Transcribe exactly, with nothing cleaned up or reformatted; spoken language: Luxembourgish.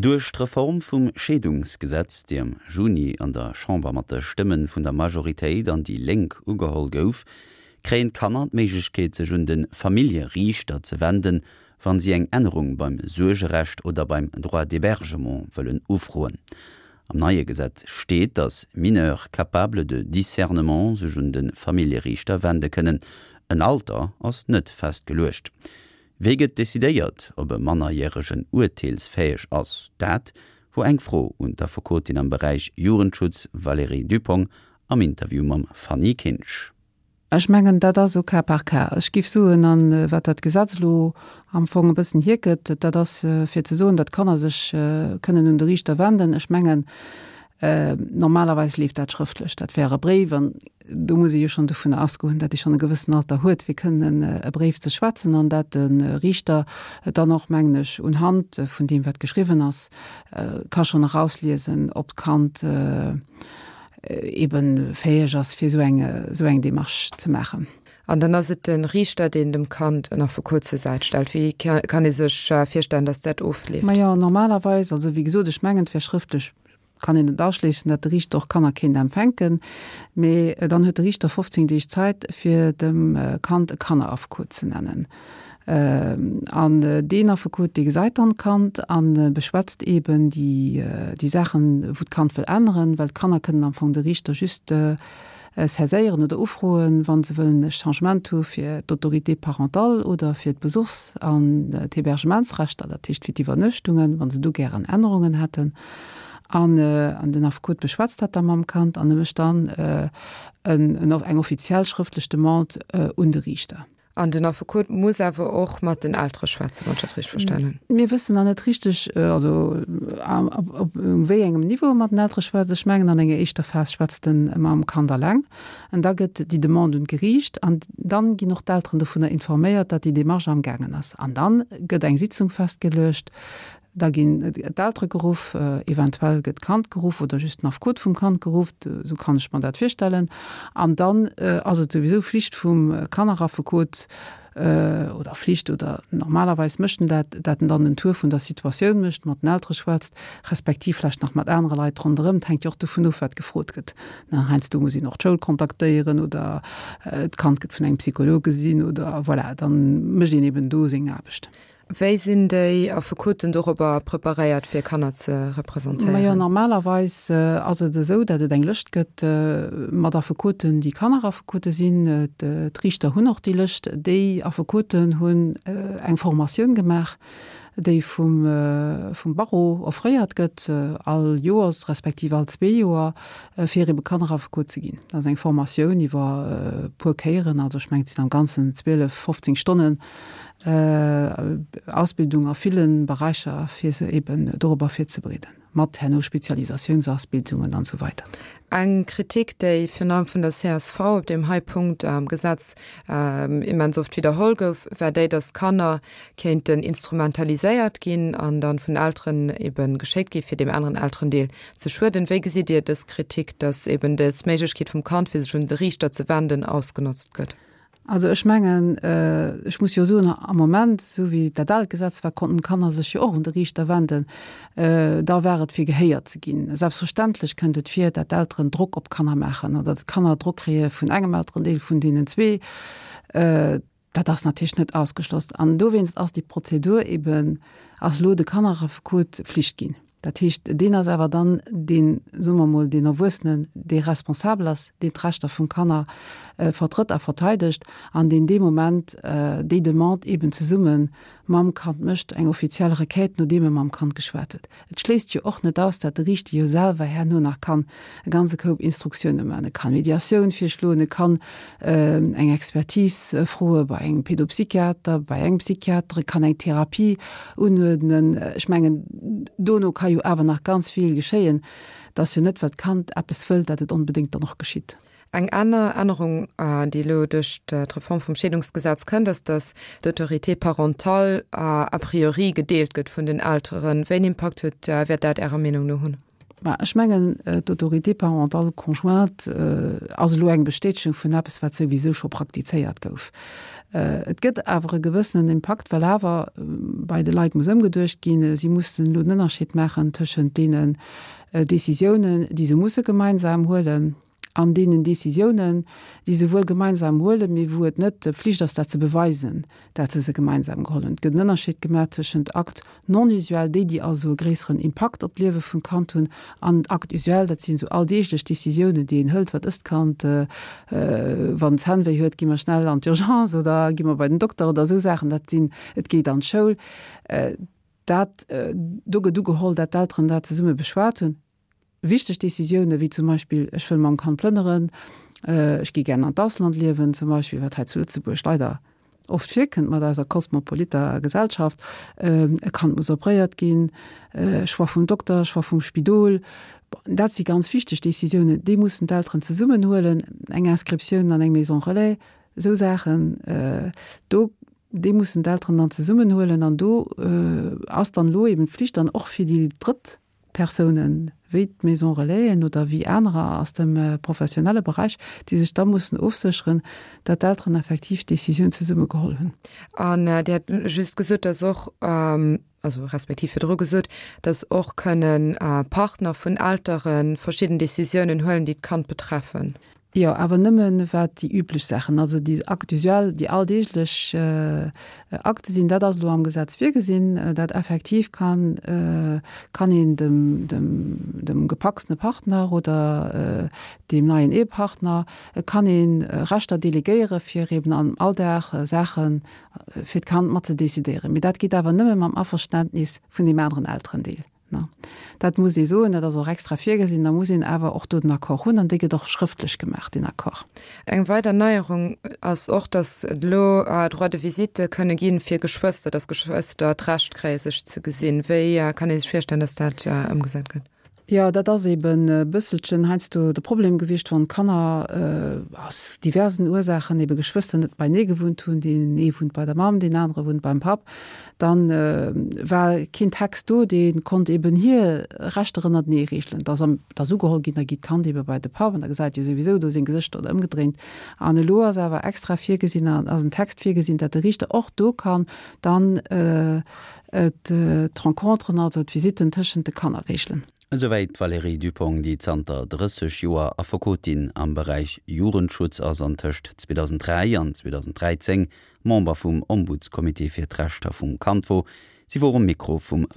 Duerch d'Reform vum Scheedungsgesetz, déi am Juni an der Chamber mat de Stëmme vun der Majoritéit an déi Lénk ugeholl gouf, kréien d'Kanner d'Méiglechkeet sech un de Familljeriichter ze wenden, wann si eng Ännerung beim Suergerecht oder beim Droit d'hébergement wëllen ufroen. Am neie Gesetz steet, datt Mineurs capables de discernement sech un de Familljeriichter wende kënnen. En Alter ass net festgeluecht. Wéi gëtt decidéiert, ob e Mannerjäregen urteelsfäeg ass? Dat wor eng Fro un d'Affekotin am Beräich Jugendschutz Valérie Dupong am Interview mam Fanny Kinsch. Ech mengen, dat ass au cas par cas. Ech géif soen, an wat dat Gesetz elo am Fong e bëssen hiergëtt, dat ass fir ze soen, datt d'Kanner sech kënnen un de Riichter wenden. Ech mengen, normalerweis leeft dat schrëftlech, dat wär e Bréif, an do muss ee jo schonn dovunner ausgoen, datt ee schonn e gewëssen Alter huet, fir kënnen e Bréif ze schwätzen, an dat de Riichter dann och, mengen ech, unhand vun deem, wat geschriwwen ass, ka schonn erausliesen, ob d'Kand eben fäeg ass, fir esou eng, esou eng Démarche ze maachen. An dann ass et de Riichter, deen dem Kand en Affekot zur Säit stellt. Wéi kann ee sech virstellen, datt dat ofleeft? Majo, normalerweis, also wéi gesot, ech mengen, et wär schrëftlech, kann een net ausschléissen, datt de Riichter och Kanner kéint empfänken, mee dann huet de Riichter fofzéng Deeg Zäit, fir dem Kand e Kanneraffekot ze nennen. An deen Affekot, dee gesäit dann d'Kand a beschwätzt eeben déi, déi Saachen, wou d'Kand wëll änneren, well d'Kanner kënnen am Fong de Riichter just saiséieren oder ufroen, wa se wëllen e Changement hu fir d'Autorité parentale oder fir d'Besuchs an d'Hébergementsrechter, dat heescht fir d'Iwwernuechtungen, wa se do gären Ännerungen hätten. An den Affekot beschwätzt dat da mam Kand an e mécht dann eng offiziell schrëftlech Demande un de Riichter. An den Affekot muss awer och mat den Eltere schwätzen, wann ech dat richteg verstanen hunn. Mir wëssen nach net richteg, also op wéi engem Niveau e mat den Eltere schwätzt. Ech mengen, an enger éischter Phas schwätzt e mam Kand alleng. An da gëtt déi Demande un d'Geriicht an dann ginn och d'Elteren dovunner informéiert, datt déi Demarche amgaangen ass. An dann gëtt eng Sitzung festgeluecht. Da ginn d'Eltere geruff, eventuell gëtt d'Kand geruff oder just den Affekot vum Kand geruff, esou kann ech mer dat virstellen. An dann ass et souwisou Flicht vum Kanneraffekot, oder Flicht oder normalerweis mécht en dat, dat en dann den Tour vun der Situatioun mécht, mat den Eltere schwätzt, respektiv vläicht nach mat anere Leit ronderëm. Et hänkt jo och dovun of, wat gefrot gëtt. Heiansdo muss een och d'Schoul kontaktéieren oder d'Kand gëtt vun engem Psycholog gesinn oder voilà, dann mécht een eben do seng Aarbecht. Wéi sinn déi Affekoten dorobber preparéiert, fir Kanner ze representéieren? Majo, normalerweis ass et esou, datt et eng Lëscht gëtt mat Affekoten, déi Kanneraffekote sinn. D'Riichter hunn och déi Lëscht. Déi Affekoten hunn eng Formatioun gemaach, déi vum vum Barreau offréiert gëtt, all Joers respektiv all zwee Joer, fir ebe Kanneraffekot ze ginn. Dat ass eng Formatioun iwwer e puer Kéieren, also ech mengen, et sinn am Ganzen zwielef, fofzéng Stonnen, Ausbildung a villen Beräicher, fir se eben dorobber virzebereeden, mat herno Spezialisatiounsausbildungen an esou weider. Eng Kritik, déi virun allem vun der C S V op deem hei Punkt am Gesetz immens oft widderholl gouf, war déi, dass Kanner kéinten instrumentaliséiert ginn an dann vun Elteren eben geschéckt gi fir deem aneren Elterendeel ze schueden. Wéi gesitt Dir dës Kritik, dass eben dës Méiglechkeet vum Kand, fir sech un de Riichter ze wenden, ausgenotzt gëtt? Also ech mengen, ech muss jo soen, am Moment, esou wéi dat aalt Gesetz war, konnten d'Kanner sech jo och un de Riichter wenden. Da war et fir gehéiert ze ginn. Selbstverständlech kënnt et vir, dat d'Elteren Drock op d'Kanner maachen oder dat d'Kanner Drock kréie vun engem Elterendeel vun deenen zwee. Dat ass natierlech net ausgeschloss. An dowéinst ass déi Prozedur eben, ass elo de Kanneraffekot Flicht ginn. Dat heescht, deen ass awer dann deen, soe mer emol, deen Erwuessenen, dee responsabel ass, deen d'Rechter vum Kanner vertrëtt a verteidegt an deen dee Moment déi Demande eeben zesumme mam Kand mécht, eng offiziell Requête, nodeem e mam Kand geschwat huet. Et schléisst jo och net aus, datt de Riichter jo selwer herno nach kann e ganze Koup Instruktioune maachen. E kann Mediatioun virschloen, e kann eng Expertise froe bei engem Pedopsychiater, bei engem Psychiater, e kann eng Therapie unuerdnen. Ech mengen, dono ka jo awer nach ganz vill geschéien. Et ass jo net, well d'Kand eppes wëllt, datt et onbedéngt dann och geschitt. Eng aner Ännerung, déi elo duerch d'Reform vum Scheedungsgesetz kënnt, ass, datt d'Autorité parentale a priori gedeelt gëtt vun den Elteren. Wéi en Impakt huet, wäert dat Ärer Meenung no hunn? Mä ech mengen, d'Autorité parentale conjointe ass elo eng Bestätegung vun eppes, wat souwisou scho praktizéiert gouf. Et gëtt awer e gewëssenen Impakt, well awer bei de Leit muss ëmgeduecht ginn. Si mussen elo den Ënnerscheed maachen tëschent deenen Decisiounen, déi se musse gemeinsam huelen, an deenen Decisiounen, déi se wuel gemeinsam huelen, mee wou et net Pflicht ass, dat ze beweisen, dat se se gemeinsam geholl hunn. Et gëtt en Ënnerscheed gemaach tëschent Actes non usuels, déi, déi also e gréisseren Impakt op d'Liewe vum Kand hunn, an Actes usuels, dat sinn esou alldeeglech Decisiounen, déi een hëlt, wat ësst d'Kand, wann en Zännwéi huet, gi mer schnell an d'Urgence oder gi mer bei den Dokter oder esou Saachen, dat sinn, et geet an d'Schoul. Dat, do gëtt ugeholl, dat d'Elteren dat zesumme beschwat hunn. Wichteg Décisioune wéi zum Beispill, ech wëll mam Kand plënneren, ech gi gär an d'Ausland liewen zum Beispill, wat hei zu Lëtzebuerg leider oft virkënnt mat eiser kosmopoliter Gesellschaft, e Kand muss opréiert ginn, Choix vum Dokter, Choix vum Spidol, dat si ganz wichteg Décisiounen, déi mussen d'Elteren zesummen huelen, eng Inscriptioun an eng Maison relais, esou Saachen, do, déi mussen d'Elteren dann zesummen huelen an do ass dann elo eben d'Pflicht dann och fir déi drëtt Persounen, wéi d'Maison Relaisen oder wéi anerer aus dem professionelle Beräich, déi sech da mussen ofsécheren, datt d'Elteren effektiv d'Décisioun zesumme geholl hunn. An Dir hat just gesot, datt och, also respektiv virdru gesot, datt och kënnen Partner vun Eltere verschidden Décisiounen huelen, déi d'Kand betreffen. Jo, awer nëmmen wat déi üblech Saachen, also déi Actes usuels, déi alldeeglech Akte sinn, dat ass elo am Gesetz virgesinn, dat effektiv kann, kann een dem, dem, dem gepacstene Partner oder deem neien Ehepartner kann ee Rechter delegéiere fir eben am Alldag Saache fir d'Kand mat ze decidéieren. Mee dat geet awer nëmme mam Averständnis vun deem aneren Elterendeel. Dat muss ee soen, dat ass och extra virgesinn. Da muss een awer och do den Accord hunn an dee gëtt och schrëftlech gemaach, deen Accord. Eng weider Neierung ass och, dass et elo Droits de visite kënne gi fir Geschwëster, dass Geschwëster d'Recht kréie sech ze gesinn. Wéi kann ee sech virstellen, dass dat ëmgesat gëtt? Jo, dat ass eben e bësselchen heiansdo de Problem gewiescht, wann d'Kanner aus diversen Ursaachen, ebe Geschwëster, net beinee gewunnt hunn, deen ee wunnt bei der Mamm, deen anere wunnt beim Papp, dann war keen Text do, dee konnt eben hir Rechter ënnertenee reegelen. Da ass ugeholl ginn, da geet d'Kand ebe bei de Papp an da gesäit jo souwisou do seng Gesëschter oder ëmgedréint. An elo ass awer extra virgesinn, ass en Text virgesinn, datt de Riichter och do kann dann d'Renconteren, also d'Visitten tëschent de Kanner reegelen. Esouwäit d'Valérie Dupong, déi zanter drësseg Joer Affekotin am Beräich Jugendschutz ass an tëscht zweedausenddräi an zweedausenddräizéng Member vum Ombudscomité fir d'Rechter vum Kand wor. Si wor um Mikro vum